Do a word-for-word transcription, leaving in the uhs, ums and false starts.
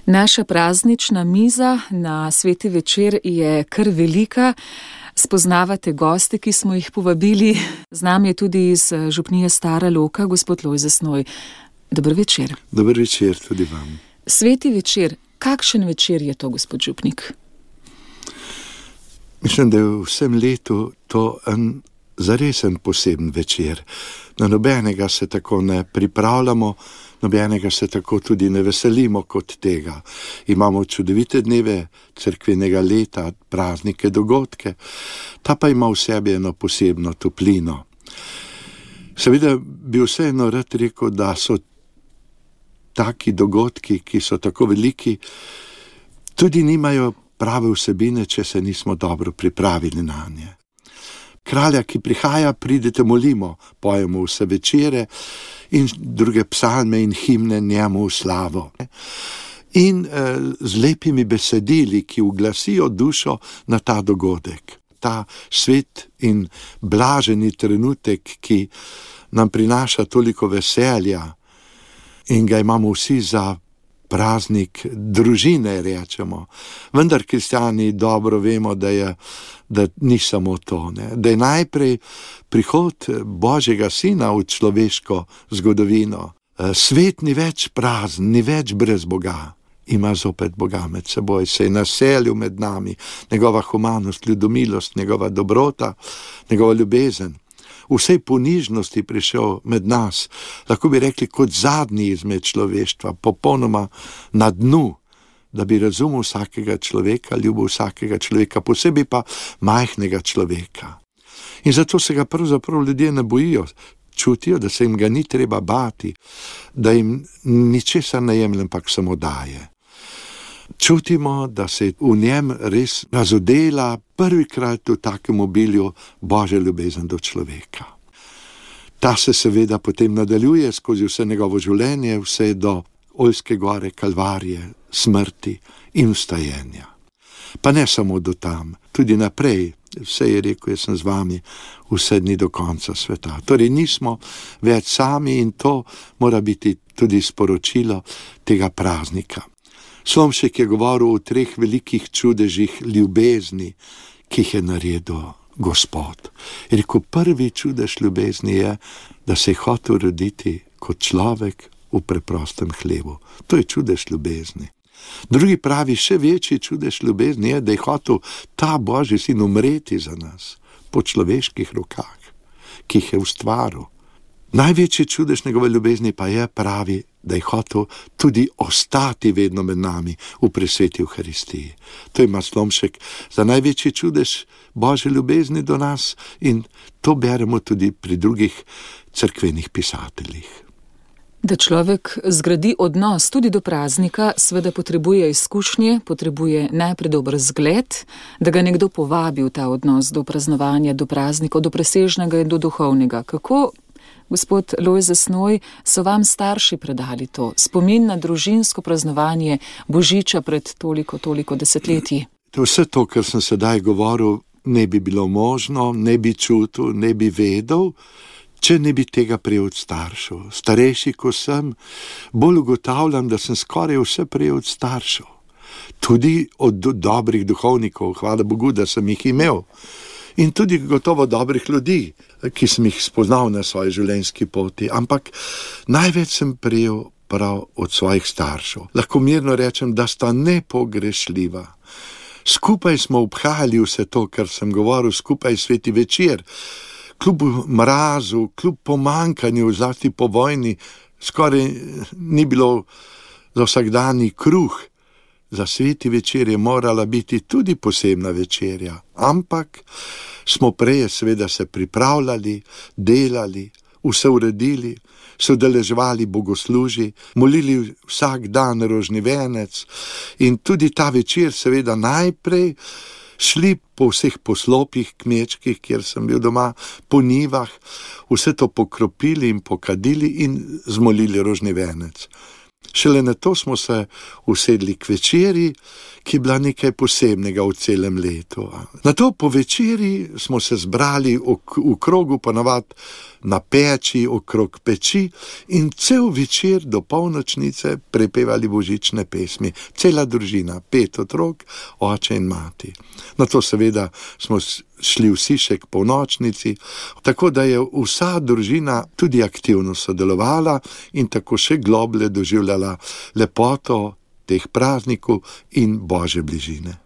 Naša praznična miza na sveti večer je kar velika. Spoznavate goste, ki smo jih povabili. Z nami je tudi iz župnije Stara Loka, gospod Lojze Snoj. Dober večer. Dober večer tudi vam. Sveti večer. Kakšen večer je to, gospod župnik? Mislim, da je v vsem letu to en zaresen poseben večer. Na nobenega se tako ne pripravljamo, nobenega se tako tudi ne veselimo kot tega. Imamo čudovite dneve cerkvenega leta, praznike, dogodke, ta pa ima v sebi eno posebno toplino. Seveda bi vseeno rad rekel, da so taki dogodki, ki so tako veliki, tudi nimajo prave vsebine, če se nismo dobro pripravili na nje. Kralja, ki prihaja, pridite molimo, pojemo vse večere in druge psalme in himne njemu v slavo. In eh, z lepimi besedili, ki uglasijo dušo na ta dogodek. Ta svet in blaženi trenutek, ki nam prinaša toliko veselja in ga imamo vsi za praznik družine, rečemo. Vendar kristjani dobro vemo, da, je, da ni samo to, ne? Da je najprej prihod Božjega Sina v človeško zgodovino. Svet ni več prazen, ni več brez Boga. Ima zopet Boga med seboj, se je naselil med nami, njegova humanost, ljudomilost, njegova dobrota, njegova ljubezen. V vsej ponižnosti prišel med nas, lahko bi rekli kot zadnji izmed človeštva, popolnoma na dnu, da bi razumel vsakega človeka, ljubil vsakega človeka, posebej pa majhnega človeka. In zato se ga pravzaprav ljudje ne bojijo, čutijo, da se jim ga ni treba bati, da jim ničesar ne jemlje, ampak samo daje. Čutimo, da se v njem res razodela prvikrat v takem obilju Božja ljubezen do človeka. Ta se seveda potem nadaljuje skozi vse njegovo življenje, vse do Oljske gore, Kalvarije, smrti in vstajenja. Pa ne samo do tam, tudi naprej, vse je rekel, jaz sem z vami vse dni do konca sveta. Torej nismo več sami in to mora biti tudi sporočilo tega praznika. Slomšek je govoril o treh velikih čudežih ljubezni, ki jih je naredil Gospod. Je rekel, prvi čudež ljubezni je, da se je hotel roditi kot človek v preprostem hlevu. To je čudež ljubezni. Drugi pravi, še večji čudež ljubezni je, da je hotel ta Božji Sin umreti za nas po človeških rokah, ki jih je ustvaril. Največji čudež njegove ljubezni pa je, pravi, da je hotel tudi ostati vedno med nami v presveti Evharistiji. To ima Slomšek za največji čudež Božje ljubezni do nas in to beremo tudi pri drugih cerkvenih pisateljih. Da človek zgradi odnos tudi do praznika, seveda potrebuje izkušnje, potrebuje najprej dober zgled, da ga nekdo povabi v ta odnos do praznovanja, do praznikov, do presežnega in do duhovnega. Kako, gospod Lojze Snoj, so vam starši predali to, spomin na družinsko praznovanje Božiča pred toliko, toliko desetletji? Vse to, kar sem sedaj govoril, ne bi bilo možno, ne bi čutil, ne bi vedel, če ne bi tega prej od staršev. Starejši, ko sem, bolj ugotavljam, da sem skoraj vse prej od staršev. Tudi od do, dobrih duhovnikov, hvala Bogu, da sem jih imel. In tudi gotovo dobrih ljudi, ki sem jih spoznal na svoji življenjski poti. Ampak največ sem prejel prav od svojih staršev. Lahko mirno rečem, da sta nepogrešljiva. Skupaj smo obhajali vse to, kar sem govoril, skupaj sveti večer. Kljub mrazu, kljub pomankanju, zlasti po vojni, skoraj ni bilo za vsakdanji kruh. Za sveti večer je morala biti tudi posebna večerja, ampak smo prej seveda se pripravljali, delali, vse uredili, se udeleževali bogoslužji, molili vsak dan rožni venec in tudi ta večer seveda najprej šli po vseh poslopjih kmečkih, kjer sem bil doma, po njivah, vse to pokropili in pokadili in zmolili rožni venec. Šele na to smo se usedli k večeri, ki je bila nekaj posebnega v celem letu. Na to po večeri smo se zbrali v, v krogu, ponavadi na peči, okrog peči, in cel večer do polnočnice prepevali božične pesmi. Cela družina, pet otrok, oče in mati. Na to seveda smo šli vsi še k polnočnici, tako da je vsa družina tudi aktivno sodelovala in tako še globlje doživljala lepoto teh praznikov in Božje bližine.